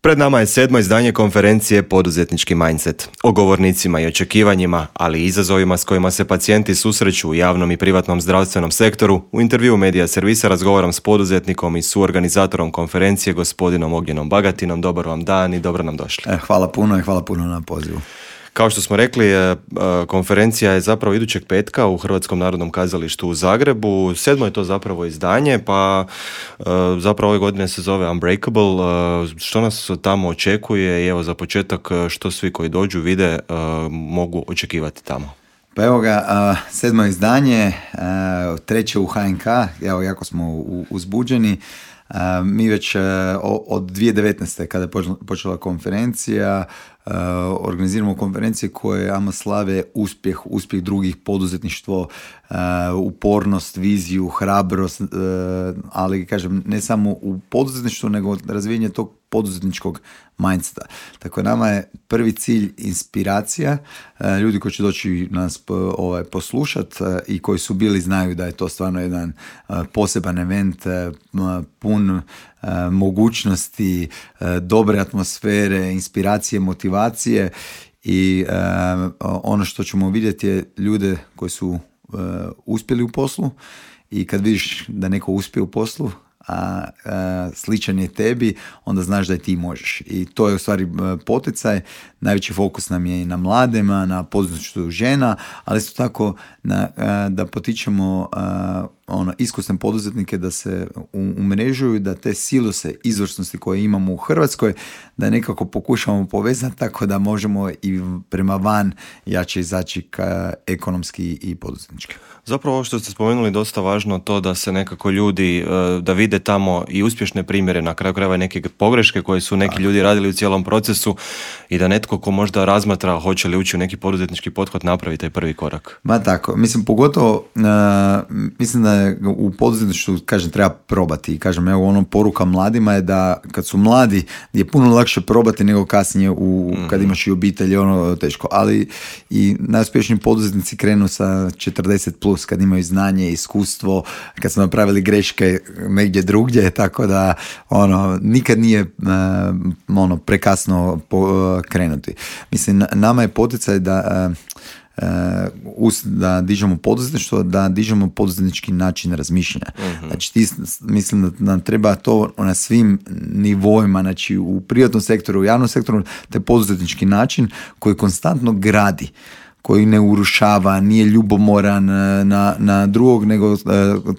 Pred nama je 7. izdanje konferencije Poduzetnički mindset. O govornicima i očekivanjima, ali i izazovima s kojima se pacijenti susreću u javnom i privatnom zdravstvenom sektoru, u intervjuu Medija servisa razgovaram s poduzetnikom i suorganizatorom konferencije, gospodinom Ognjenom Bagatinom. Dobar vam dan i dobro nam došli. Hvala puno i hvala puno na pozivu. Kao što smo rekli, konferencija je zapravo idućeg petka u Hrvatskom narodnom kazalištu u Zagrebu. 7. je to zapravo izdanje, pa zapravo ove godine se zove Unbreakable. Što nas tamo očekuje i evo za početak što svi koji dođu vide mogu očekivati tamo? Pa evo ga, 7. izdanje, 3. u HNK, evo jako smo uzbuđeni. Mi već od 2019. kada je počela konferencija, organiziramo konferencije koje ama slave uspjeh drugih, poduzetništvo, upornost, viziju, hrabrost, ali kažem ne samo u poduzetništvu nego razvijenje tog poduzetničkog mindseta. Tako nama je prvi cilj inspiracija, ljudi koji će doći nas poslušati i koji su bili znaju da je to stvarno jedan poseban event, pun mogućnosti, dobre atmosfere, inspiracije, motivacije i ono što ćemo vidjeti je ljude koji su uspjeli u poslu i kad vidiš da neko uspije u poslu, a sličan je tebi, onda znaš da i ti možeš. I to je u stvari poticaj. Najveći fokus nam je i na mladima, na poduzetništvu žena, ali isto tako da potičemo iskusne poduzetnike da se umrežuju, da te silose izvrsnosti koje imamo u Hrvatskoj, da nekako pokušamo povezati tako da možemo i prema van jače izaći ekonomski i poduzetnički. Zapravo ovo što ste spomenuli dosta važno to da se nekako ljudi, da vide tamo i uspješne primjere, na kraju krajeva neke pogreške koje su neki ljudi radili u cijelom procesu i da netko ko možda razmatra hoće li ući u neki poduzetnički pothvat napravi taj prvi korak. Ma tako, mislim pogotovo, mislim da je u poduzetništvu, kažem, treba probati i kažem, evo ono poruka mladima je da kad su mladi je puno lakše probati nego kasnije kad imaš i obitelj, ono teško, ali i najuspješniji poduzetnici krenu sa 40 plus kad imaju znanje, iskustvo, kad smo napravili greške negdje drugdje, tako da nikad nije prekasno krenuti. Mislim, nama je poticaj da dižemo poduzetništvo, da dižemo poduzetnički način razmišljanja. Znači, mislim da nam treba to na svim nivoima, znači u privatnom sektoru, u javnom sektoru, taj poduzetnički način koji konstantno gradi, koji ne urušava, nije ljubomoran na drugog, nego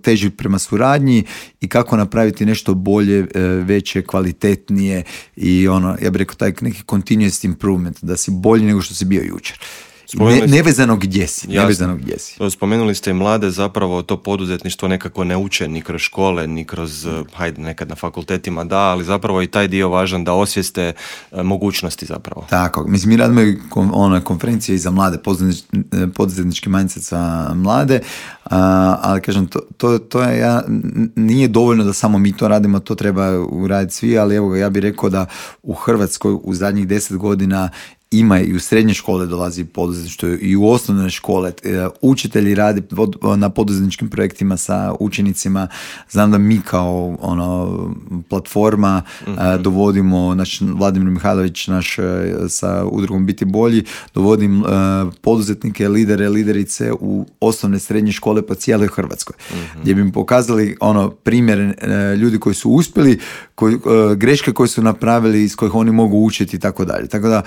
teži prema suradnji i kako napraviti nešto bolje, veće, kvalitetnije i ja bih rekao taj neki continuous improvement, da si bolji nego što si bio jučer. Nevezano gdje si. Spomenuli ste i mlade, zapravo to poduzetništvo nekako ne uče ni kroz škole, ni kroz, nekad na fakultetima da, ali zapravo i taj dio važan da osvijeste mogućnosti zapravo. Tako, mislim mi radimo i konferencije i za mlade, poduzetnički mindset za mlade, ali kažem, to je, nije dovoljno da samo mi to radimo, to treba uraditi svi, ali evo ja bih rekao da u Hrvatskoj u zadnjih 10 godina ima i u srednje škole dolazi poduzetništvo i u osnovne škole. Učitelji rade na poduzetničkim projektima sa učenicima. Znam da mi kao platforma dovodimo, Vladimir Mihajlović sa udrugom Biti bolji, dovodim poduzetnike, liderice u osnovne srednje škole po cijeloj Hrvatskoj. Gdje bi im pokazali primjere ljudi koji su uspjeli, greške koje su napravili, iz kojih oni mogu učiti i tako dalje. Tako da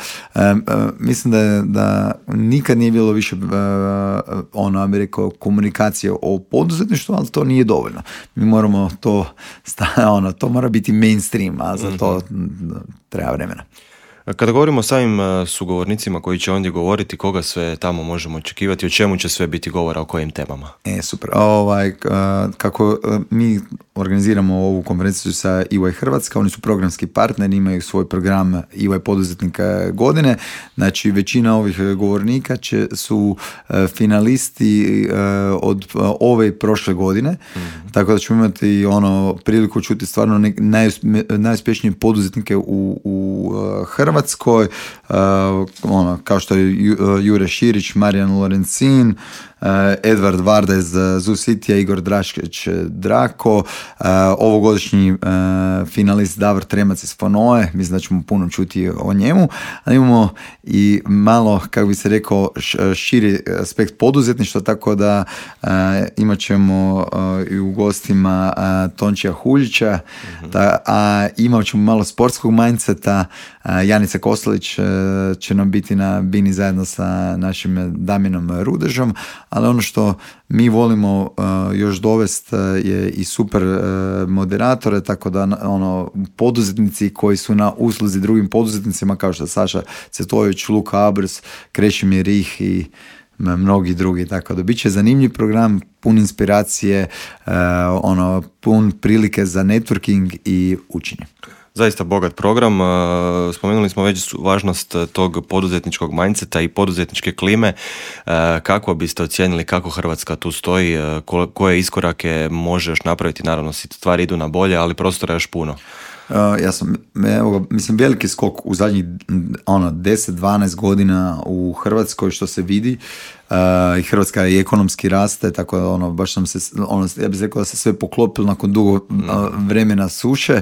mislim da nikad nije bilo više bi rekao komunikacije o poduzetništvu, ali to nije dovoljno. Mi moramo to mora biti mainstream, a za to treba vremena. Kada govorimo o samim sugovornicima koji će ondje govoriti, koga sve tamo možemo očekivati, o čemu će sve biti govora, o kojim temama? Super. Kako mi organiziramo ovu konferenciju sa EY Hrvatska, oni su programski partneri, imaju svoj program EY poduzetnika godine. Znači, većina ovih govornika su finalisti od ove i prošle godine, tako da ćemo imati priliku čuti stvarno najuspješnije poduzetnike u Hrvatskoj, kao što je Jure Širić, Marijan Lorencin, Edvard Varda iz Zoo Citya, Igor Draškić Drako, ovogodišnji finalist Davor Tremac iz Fonoe, mislim da ćemo puno čuti o njemu, ali imamo i malo, kako bi se rekao, širi aspekt poduzetništva, tako da imat ćemo i u gostima Tončija Huljića, a imat ćemo malo sportskog mindseta. Janica Kostelić će nam biti na bini zajedno sa našim Damjanom Rudežom, ali ono što mi volimo još dovesti je i super moderatore, tako da poduzetnici koji su na usluzi drugim poduzetnicima kao što je Saša Cetojević, Luka Abrs, Krešimir Rih i mnogi drugi, tako da bit će zanimljiv program, pun inspiracije, pun prilike za networking i učenje. Zaista bogat program. Spomenuli smo već važnost tog poduzetničkog mindseta i poduzetničke klime. Kako biste ocijenili kako Hrvatska tu stoji, koje iskorake može još napraviti? Naravno, stvari idu na bolje, ali prostora je još puno. Mislim, veliki skok u zadnjih 10-12 godina u Hrvatskoj što se vidi, i Hrvatska i ekonomski raste, tako da baš sam se, ja bih rekao da se sve poklopilo nakon dugo vremena suše,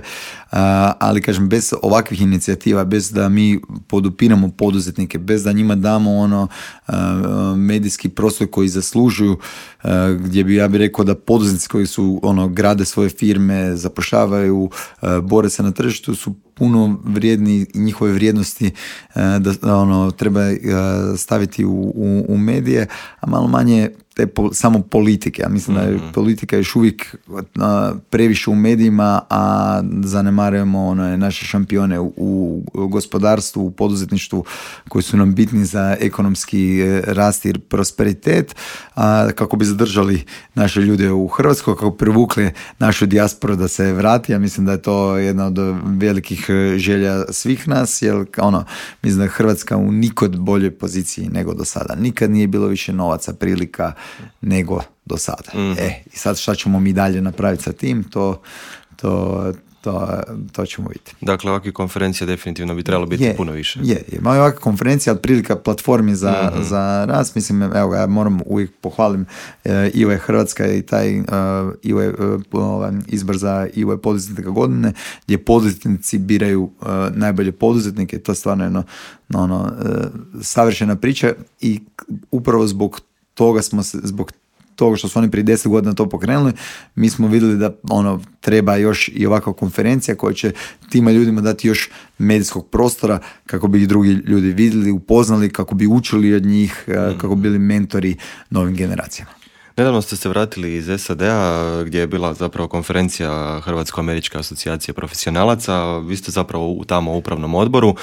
ali kažem, bez ovakvih inicijativa, bez da mi podupiramo poduzetnike, bez da njima damo medijski prostor koji zaslužuju, gdje bi, ja bih rekao da poduzetnici koji su grade svoje firme, zapošljavaju, bore se na tržištu, su puno vrijedni i njihove vrijednosti da treba staviti u medije, a malo manje samo politike. Ja mislim da je politika još uvijek previše u medijima, a zanemarujemo naše šampione u gospodarstvu, u poduzetništvu koji su nam bitni za ekonomski rast i prosperitet, kako bi zadržali naše ljude u Hrvatskoj, kako privukli našu dijasporu da se vrati. Ja mislim da je to jedna od velikih želja svih nas, jer mislim da je Hrvatska u nikod boljoj poziciji nego do sada. Nikad nije bilo više novaca, prilika nego do sada. I sad šta ćemo mi dalje napraviti sa tim, to ćemo vidjeti. Dakle, ovakve konferencije definitivno bi trebalo biti puno više. Malo ovakve konferencije, ali prilika platformi za rast. Mislim, evo ja moram uvijek pohvalim IOE Hrvatska i taj izbor za IOE poduzetnika godine, gdje poduzetnici biraju najbolje poduzetnike. To je stvarno savršena priča i upravo zbog toga što su oni prije 10 godina to pokrenuli, mi smo vidjeli da treba još i ovakva konferencija koja će tima ljudima dati još medijskog prostora kako bi ih drugi ljudi vidjeli, upoznali, kako bi učili od njih, kako bi bili mentori novim generacijama. Nedavno ste se vratili iz SAD-a gdje je bila zapravo konferencija Hrvatsko-američke asocijacije profesionalaca. Vi ste zapravo tamo u upravnom odboru.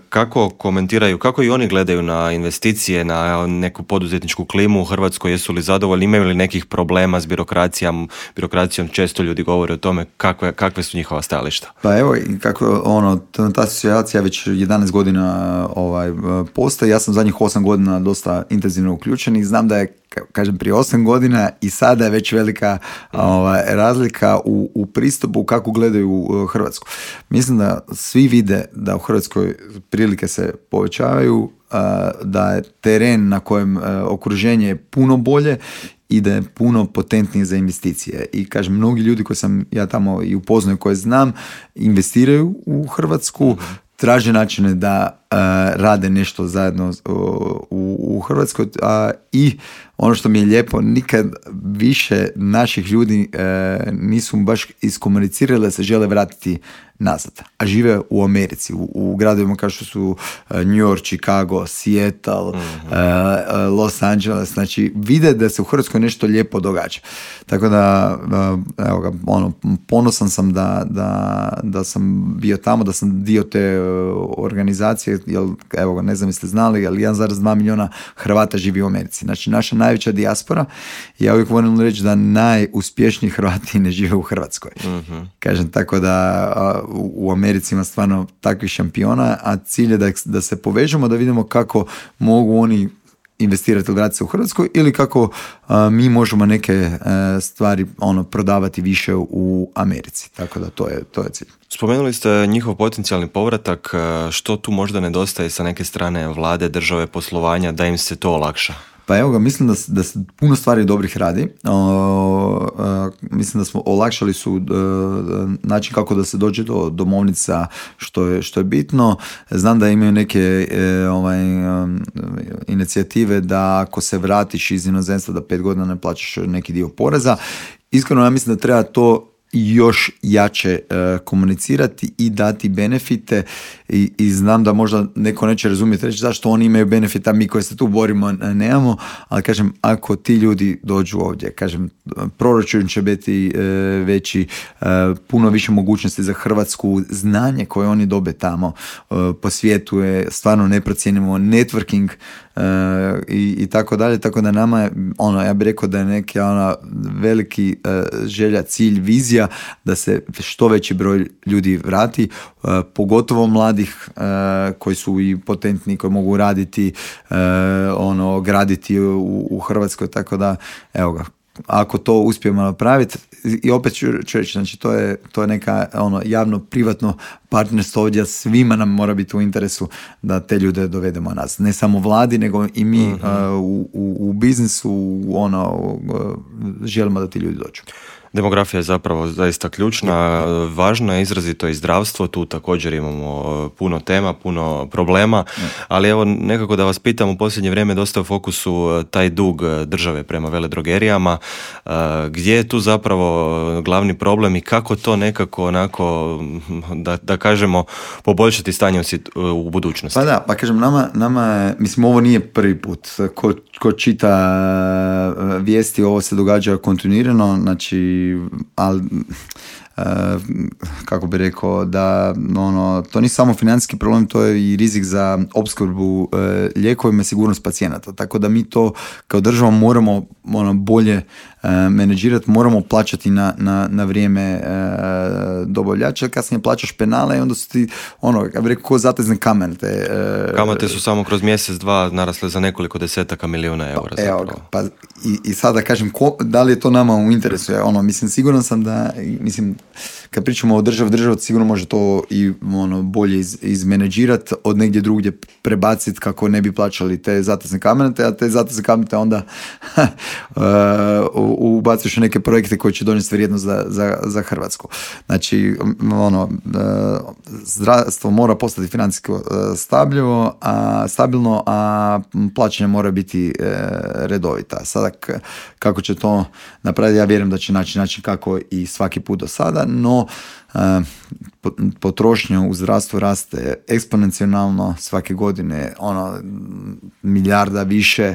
Kako komentiraju, kako i oni gledaju na investicije, na neku poduzetničku klimu u Hrvatskoj? Jesu li zadovoljni? Imaju li nekih problema s birokracijom? Često ljudi govore o tome kakve su njihova stajališta. Pa evo, kako ta asocijacija već 11 godina postoji. Ja sam zadnjih 8 godina dosta intenzivno uključen i znam da je, kažem, prije 8 godina i sada je već velika razlika u pristupu kako gledaju Hrvatsku. Mislim da svi vide da u Hrvatskoj prilike se povećavaju, da je teren na kojem okruženje je puno bolje i da je puno potentnije za investicije. I kažem, mnogi ljudi koji sam ja tamo i upoznao, koje znam, investiraju u Hrvatsku, traže načine da rade nešto zajedno u Hrvatskoj, i ono što mi je lijepo, nikad više naših ljudi nisu baš iskomunicirali da se žele vratiti nazad, a žive u Americi, u gradovima kao što su New York, Chicago, Seattle, Los Angeles. Znači, vide da se u Hrvatskoj nešto lijepo događa. Tako da, evo ga, ponosan sam da sam bio tamo, da sam dio te organizacije, jer, evo ga, ne znam jeste znali, ali 1,2 milijuna Hrvata živi u Americi. Znači, naša najveća dijaspora. Ja uvijek volim reći da najuspješniji Hrvati ne žive u Hrvatskoj. Kažem, tako da u Americi ima stvarno takvih šampiona, a cilj je da se povežemo, da vidimo kako mogu oni investirati ili vratiti se u Hrvatskoj, ili kako mi možemo neke stvari prodavati više u Americi. Tako da to je cilj. Spomenuli ste njihov potencijalni povratak. Što tu možda nedostaje sa neke strane vlade, države, poslovanja, da im se to olakša? Pa evo ga, mislim da se puno stvari dobrih radi. Mislim da smo olakšali su način kako da se dođe do domovnica, što je bitno. Znam da imaju neke inicijative da ako se vratiš iz inozemstva da 5 godina ne plaćaš neki dio poreza. Iskreno, ja mislim da treba to još jače komunicirati i dati benefite i znam da možda neko neće razumjeti reći zašto oni imaju benefita, mi koji se tu borimo nemamo, ali kažem, ako ti ljudi dođu ovdje, kažem, proračun će biti veći, puno više mogućnosti za Hrvatsku, znanje koje oni dobe tamo po svijetu je stvarno neprocijenimo, networking i tako dalje, tako da nama je, ja bih rekao da je neki veliki želja, cilj, vizija da se što veći broj ljudi vrati, pogotovo mladih koji su i potentni, koji mogu raditi, graditi u Hrvatskoj, tako da, evo ga, ako to uspijemo napraviti, i opet ću reći, znači to je neka javno-privatno partnerstvo ovdje, svima nam mora biti u interesu da te ljude dovedemo nas. Ne samo vladi, nego i mi u biznisu želimo da ti ljudi dođu. Demografija je zapravo zaista ključna, važna je izrazito i zdravstvo, tu također imamo puno tema, puno problema, ali evo nekako da vas pitam, u posljednje vrijeme dosta u fokusu taj dug države prema veledrogerijama, gdje je tu zapravo glavni problem i kako to nekako onako, da kažemo, poboljšati stanje u budućnosti? Pa da, pa kažem, nama je, mislim, ovo nije prvi put, ko čita vijesti, ovo se događa kontinuirano, znači, ali kako bi rekao, da to nije samo financijski problem, to je i rizik za opskrbu lijekovima i sigurnost pacijenata, tako da mi to kao država moramo bolje menadžirati, moramo plaćati na vrijeme dobavljača, kasnije plaćaš penale i onda su ti, ja bih rekao, ko zatezne kamate. Kamate su samo kroz mjesec, dva narasle za nekoliko desetaka milijuna eura. Pa i sada kažem, da li je to nama u interesu? Mislim, siguran sam da, mislim, kad pričamo o država sigurno može to i bolje izmenadžirati, od negdje drugdje prebaciti kako ne bi plaćali te zatezne kamate, a te zatezne kamate onda ubaciš u neke projekte koji će donijeti vrijednost za Hrvatsku. Znači, zdravstvo mora postati financijski stabilno, a plaćanje mora biti redovita. Sada kako će to napraviti, ja vjerujem da će naći način kako i svaki put do sada, no potrošnja u zdravstvu raste eksponencijalno svake godine, milijarda više,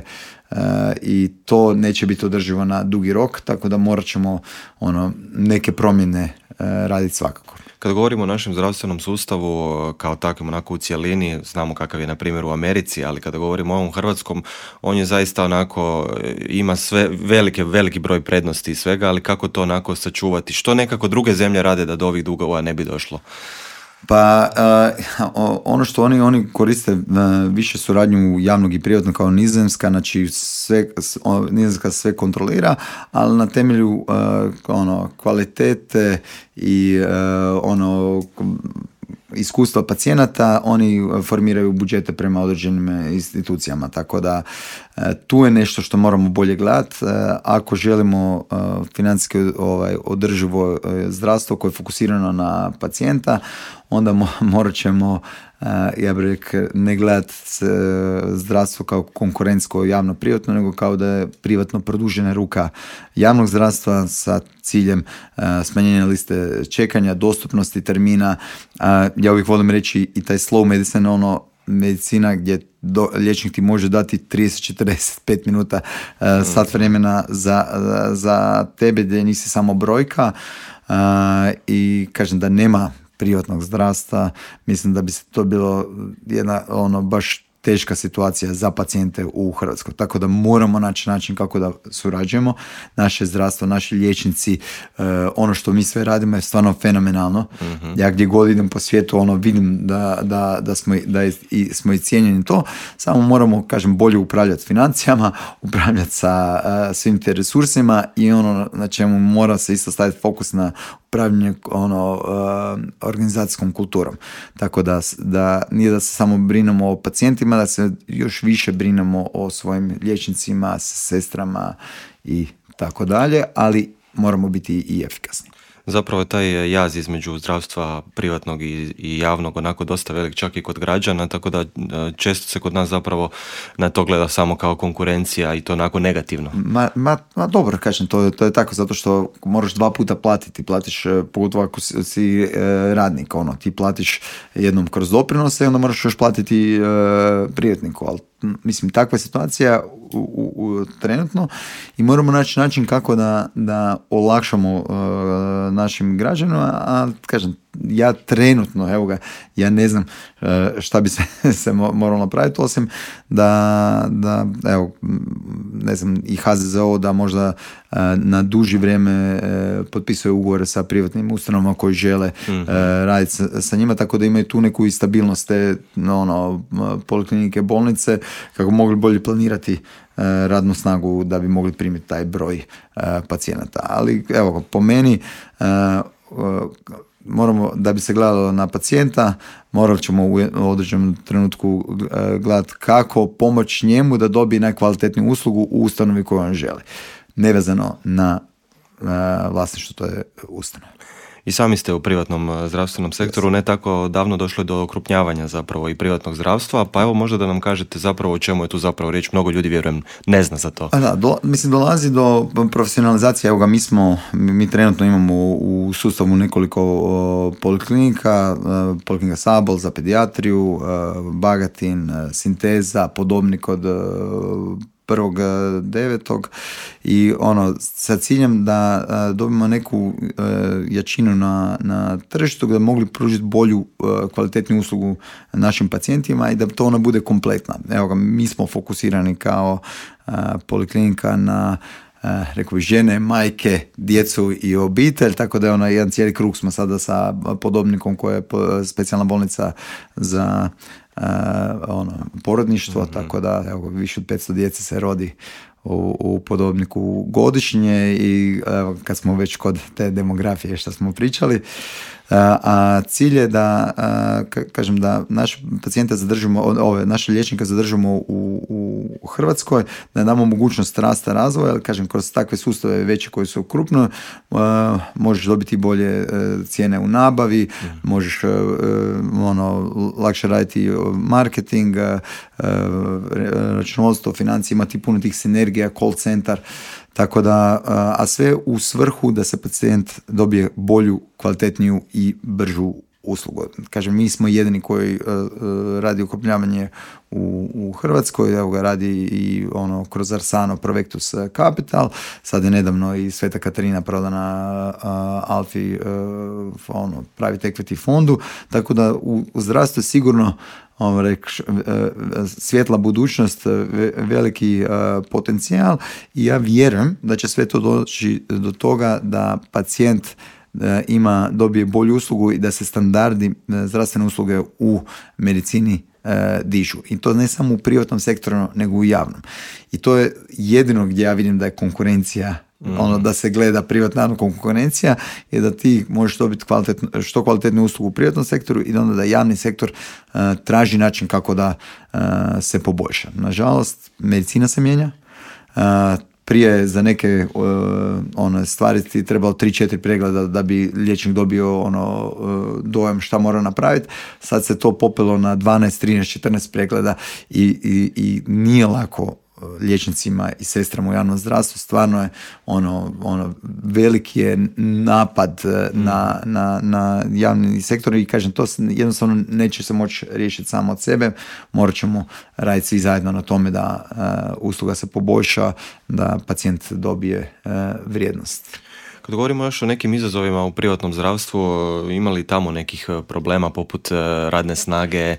i to neće biti održivo na dugi rok, tako da morat ćemo neke promjene raditi svakako. Kad govorimo o našem zdravstvenom sustavu kao takvom, onako u cjelini, znamo kakav je na primjer u Americi, ali kada govorimo o ovom hrvatskom, on je zaista onako, ima sve veliki broj prednosti i svega, ali kako to onako sačuvati? Što nekako druge zemlje rade da do ovih dugova ne bi došlo? Pa ono što oni koriste više suradnju javnog i privatnog kao Nizozemska, znači Nizozemska sve kontrolira, ali na temelju kvalitete i iskustva pacijenata oni formiraju budžete prema određenim institucijama, tako da tu je nešto što moramo bolje gledati. Ako želimo financijski održivo zdravstvo koje je fokusirano na pacijenta, onda morat ćemo, ja bih rekao, ne gledati zdravstvo kao konkurentsko javno-privatno, nego kao da je privatno produžena ruka javnog zdravstva sa ciljem smanjenja liste čekanja, dostupnosti termina. Ja uvijek volim reći i taj slow medicine, medicina gdje liječnik ti može dati 30-45 minuta sat vremena za tebe, gdje nisi samo brojka, i kažem da nema privatnog zdravstva, mislim da bi se to bilo jedna baš teška situacija za pacijente u Hrvatskoj. Tako da moramo naći način kako da surađujemo. Naše zdravstvo, naši liječnici, ono što mi sve radimo je stvarno fenomenalno. Mm-hmm. Ja gdje god idem po svijetu, vidim da smo i cijenjeni to. Samo moramo, kažem, bolje upravljati financijama, upravljati sa svim te resursima i na čemu mora se isto staviti fokus na upravljanje organizacijskom kulturom. Tako da nije da se samo brinemo o pacijentima, da se još više brinemo o svojim liječnicima, sestrama i tako dalje, ali moramo biti i efikasni. Zapravo je taj jaz između zdravstva privatnog i javnog onako dosta velik, čak i kod građana, tako da često se kod nas zapravo na to gleda samo kao konkurencija i to onako negativno. Ma dobro, kažem, to je tako, zato što moraš 2 puta platiti. Platiš, pogotovo ako si radnik, ti platiš jednom kroz doprinose i onda moraš još platiti privatniku, ali mislim, takva je situacija trenutno i moramo naći način kako da olakšamo našim građanima, a kažem, ja trenutno, ja ne znam šta bi se moralo napraviti, osim da ne znam, i HZZO da možda na duži vrijeme potpisuje ugovore sa privatnim ustanovama koji žele raditi sa njima, tako da imaju tu neku i stabilnost te poliklinike, bolnice, kako mogli bolje planirati radnu snagu da bi mogli primiti taj broj pacijenata. Ali po meni moramo, da bi se gledalo na pacijenta, morat ćemo u određenom trenutku gledati kako pomoći njemu da dobije najkvalitetniju uslugu u ustanovi koju on želi. Nevezano na vlasništvo, to je ustanova. I sami ste u privatnom zdravstvenom sektoru, ne tako davno došlo do okrupnjavanja zapravo i privatnog zdravstva, pa evo možda da nam kažete zapravo o čemu je tu zapravo riječ, mnogo ljudi vjerujem ne zna za to. Dolazi do profesionalizacije, mi trenutno imamo u sustavu nekoliko poliklinika, poliklinika Sabol za pedijatriju, Bagatin, Sinteza, Podobnik od 1.9. i sa ciljem da dobimo neku jačinu na tržištu da mogli pružiti bolju, kvalitetniju uslugu našim pacijentima i da to ona bude kompletna. Mi smo fokusirani kao poliklinika na rekao bih žene, majke, djecu i obitelj, tako da je jedan cijeli krug smo sada sa Podobnikom koja je specijalna bolnica za porodništvo, tako da više od 500 djece se rodi u Podobniku godišnje i kad smo već kod te demografije što smo pričali, a cilj je da kažem da naše pacijente zadržimo, naše liječnike zadržimo u Hrvatskoj, da damo mogućnost rasta razvoja, ali kažem kroz takve sustave veće koji su krupno možeš dobiti bolje cijene u nabavi, možeš lakše raditi marketing, računovodstvo, financije, imati puno tih sinergija, call centar. Tako da, a sve u svrhu da se pacijent dobije bolju, kvalitetniju i bržu uslugu. Kažem, mi smo jedini koji radi okrupnjavanje u Hrvatskoj, evo ga radi i kroz Arsano Provectus Capital, sad je nedavno i Sveta Katarina prodana Alfi private equity fondu, tako da u zdravstvu je sigurno svjetla budućnost, veliki potencijal i ja vjerujem da će sve to doći do toga da pacijent dobije bolju uslugu i da se standardi zdravstvene usluge u medicini dižu. I to ne samo u privatnom sektoru, nego u javnom. I to je jedino gdje ja vidim da je konkurencija, da se gleda privatna konkurencija, je da ti možeš dobiti što kvalitetnu uslugu u privatnom sektoru i onda da javni sektor traži način kako da se poboljša. Nažalost, medicina se mijenja. Prije za neke stvari ti trebalo 3-4 pregleda da bi liječnik dobio dojam šta mora napraviti. Sad se to popelo na 12, 13, 14 pregleda i nije lako liječnicima i sestrama u javnom zdravstvu. Stvarno je veliki je napad na javni sektor i kažem, to jednostavno neće se moći riješiti samo od sebe. Morat ćemo raditi svi zajedno na tome da usluga se poboljša, da pacijent dobije vrijednost. Kad govorimo još o nekim izazovima u privatnom zdravstvu, ima li tamo nekih problema poput radne snage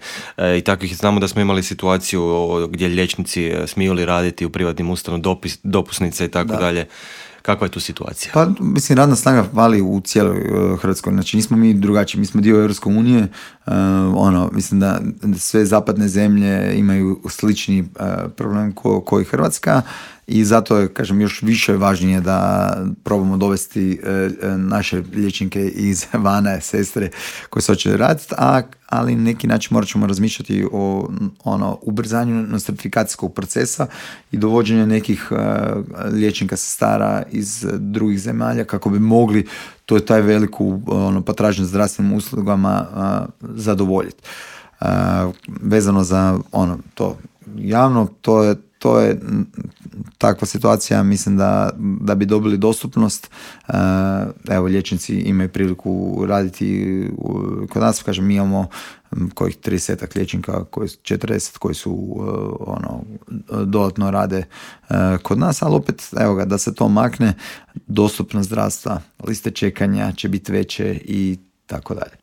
i takvih? Znamo da smo imali situaciju gdje liječnici smiju li raditi u privatnim ustanovama, dopusnice i tako dalje. Kakva je tu situacija? Pa, mislim, radna snaga fali u cijeloj Hrvatskoj. Znači, nismo mi drugačiji. Mi smo dio Europske unije. Mislim da sve zapadne zemlje imaju slični problem koji Hrvatska i zato je, kažem, još više važnije da probamo dovesti naše liječnike iz vana, sestre koje se hoće raditi, ali na neki način morat ćemo razmišljati o ubrzanju nostrifikacijskog procesa i dovođenju nekih liječnika sestara iz drugih zemalja kako bi mogli taj veliku potražnju zdravstvenim uslugama zadovoljiti. Vezano za to javno, to je takva situacija, mislim da bi dobili dostupnost. Evo, liječnici imaju priliku raditi kod nas, kažem, mi imamo kojih 30 liječnika, 40 koji su dodatno rade kod nas, ali opet, evo ga, da se to makne, dostupnost zdravstva, liste čekanja će biti veće i tako dalje.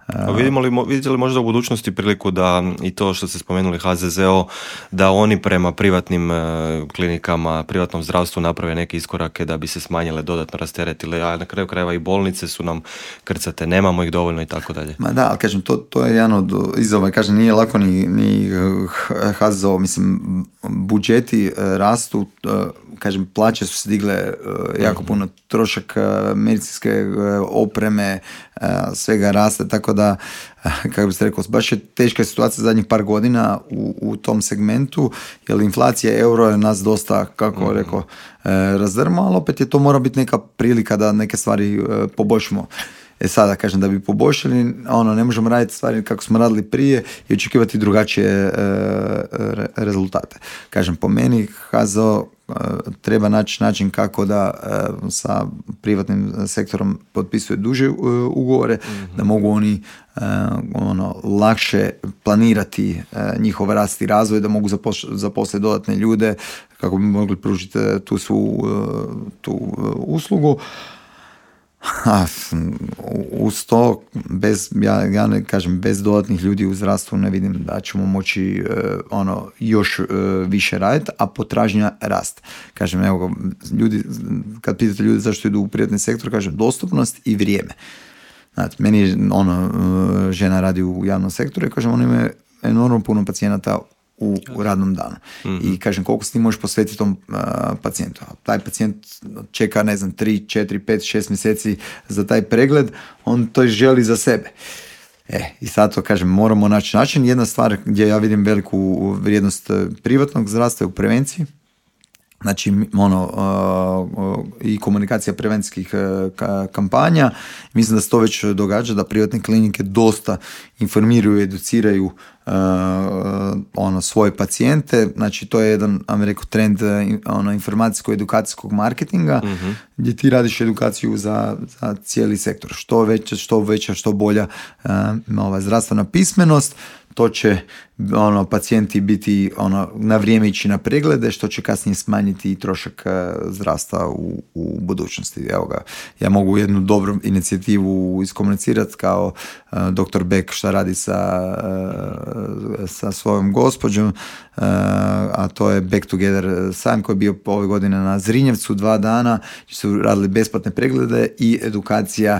Vidite li možda u budućnosti priliku da i to što ste spomenuli HZZO, da oni prema privatnim klinikama, privatnom zdravstvu naprave neke iskorake da bi se smanjile, dodatno rasteretile, a na kraju krajeva i bolnice su nam krcate, nemamo ih dovoljno i tako dalje. Ma da, ali kažem, to je jedan od izazova, kažem, nije lako ni HZZO, mislim, budžeti rastu, kažem, plaće su se digle jako puno, trošak medicinske opreme, svega raste, tako da, kako biste rekao, baš je teška situacija zadnjih par godina u tom segmentu, jer inflacija euro je nas dosta, kako rekao, razdrma, ali opet je to mora biti neka prilika da neke stvari poboljšamo. Sada, kažem, da bi poboljšali, ne možemo raditi stvari kako smo radili prije i očekivati drugačije rezultate. Kažem, po meni HZO treba naći način kako da sa privatnim sektorom potpisuje duže ugovore, da mogu oni lakše planirati njihov rast i razvoj, da mogu zaposliti dodatne ljude kako bi mogli pružiti tu uslugu. Uz to, ja ne kažem, bez dodatnih ljudi u zdravstvu ne vidim da ćemo moći još više raditi, a potražnja rast. Kažem, evo, ljudi, kad pitate ljudi zašto idu u privatni sektor, kažem, dostupnost i vrijeme. Znači, meni žena radi u javnom sektoru i kažem, ona ima enormno puno pacijenata u radnom danu. I kažem, koliko se ti možeš posvetiti tom pacijentu. Taj pacijent čeka, 3, 4, 5, 6 mjeseci za taj pregled, on to želi za sebe. I sad to, kažem, moramo naći način. Jedna stvar gdje ja vidim veliku vrijednost privatnog zdravstva je u prevenciji. Znači, i komunikacija prevencijskih kampanja. Mislim da se to već događa, da privatne klinike dosta informiraju i educiraju svoje pacijente. Znači, to je jedan, rekao, trend informacijsko-edukacijskog marketinga, gdje ti radiš edukaciju za cijeli sektor. Što veća, što bolja zdravstvena pismenost, to će pacijenti biti na vrijeme ići na preglede, što će kasnije smanjiti i trošak zdravstva u budućnosti. Evo ga, ja mogu jednu dobru inicijativu iskomunicirati kao dr. Beck šta radi sa svojom gospođom, a to je Back Together sajam koji je bio ove godine na Zrinjevcu 2 dana, gdje su radili besplatne preglede i edukacija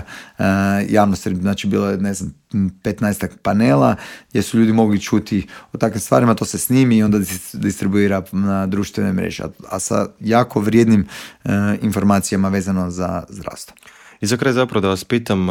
javnosti. Znači, bilo je 15 panela gdje su ljudi mogli čuti o takvim stvarima, to se snimi i onda distribuira na društvene mreže, a sa jako vrijednim informacijama vezano za zdravstvo. I za kraj zapravo da vas pitam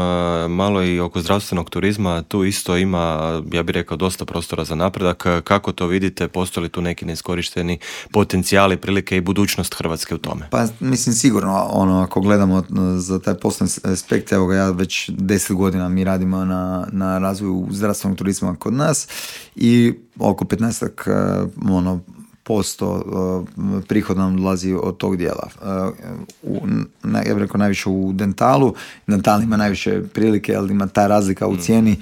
malo i oko zdravstvenog turizma, tu isto ima, ja bih rekao, dosta prostora za napredak. Kako to vidite, postoji li tu neki neiskorišteni potencijali, prilike i budućnost Hrvatske u tome? Pa mislim sigurno, ako gledamo za taj poslovni aspekt, evo ga, ja već 10 godina mi radimo na razvoju zdravstvenog turizma kod nas i oko 15% prihoda nam dolazi od tog dijela. Ja bih rekao najviše u dentalu. Dental ima najviše prilike, ali ima ta razlika u cijeni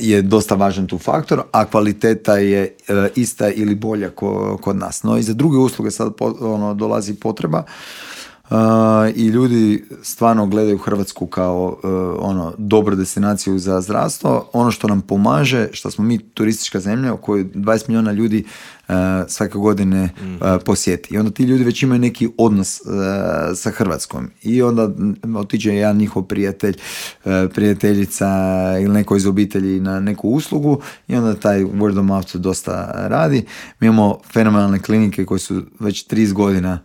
je dosta važan tu faktor, a kvaliteta je ista ili bolja kod nas. No i za druge usluge sad dolazi potreba. I ljudi stvarno gledaju Hrvatsku kao dobru destinaciju za zdravstvo. Ono što nam pomaže, što smo mi turistička zemlja u kojoj 20 milijuna ljudi svake godine posjeti. I onda ti ljudi već imaju neki odnos sa Hrvatskom. I onda otiđe jedan njihov prijatelj, prijateljica ili neko iz obitelji na neku uslugu i onda taj word of mouth dosta radi. Mi imamo fenomenalne klinike koje su već 30 godina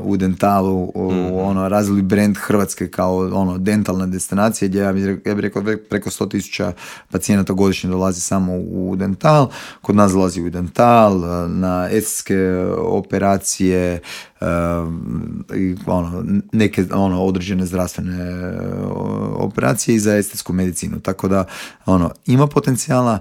u dentalu, ono, razvili brand Hrvatske kao ono, dentalna destinacija gdje ja bih rekao preko 100,000 pacijenata godišnje dolazi samo u dental. Kod nas dolazi u dental, na estetske operacije, i ono, neke ono, određene zdravstvene operacije i za estetsku medicinu. Tako da ono, ima potencijala.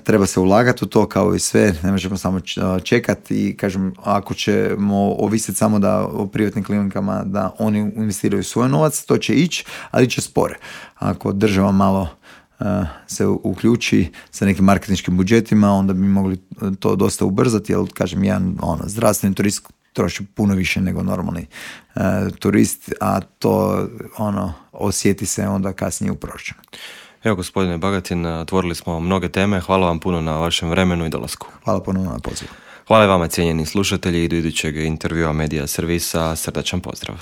Treba se ulagati u to kao i sve, ne možemo samo čekati i kažem, ako ćemo ovisiti samo da o privatnim klinikama da oni investiraju svoj novac, to će ići, ali će spore. Ako država malo se uključi sa nekim marketinškim budžetima, onda bi mogli to dosta ubrzati, jer kažem, jedan zdravstveni turist troši puno više nego normalni turist, a to osjeti se onda kasnije u proračunu. Evo, gospodine Bagatin, otvorili smo mnoge teme. Hvala vam puno na vašem vremenu i dolasku. Hvala puno na pozivu. Hvala i vama, cijenjeni slušatelji, i do idućeg intervjua Medija Servisa. Srdačan pozdrav.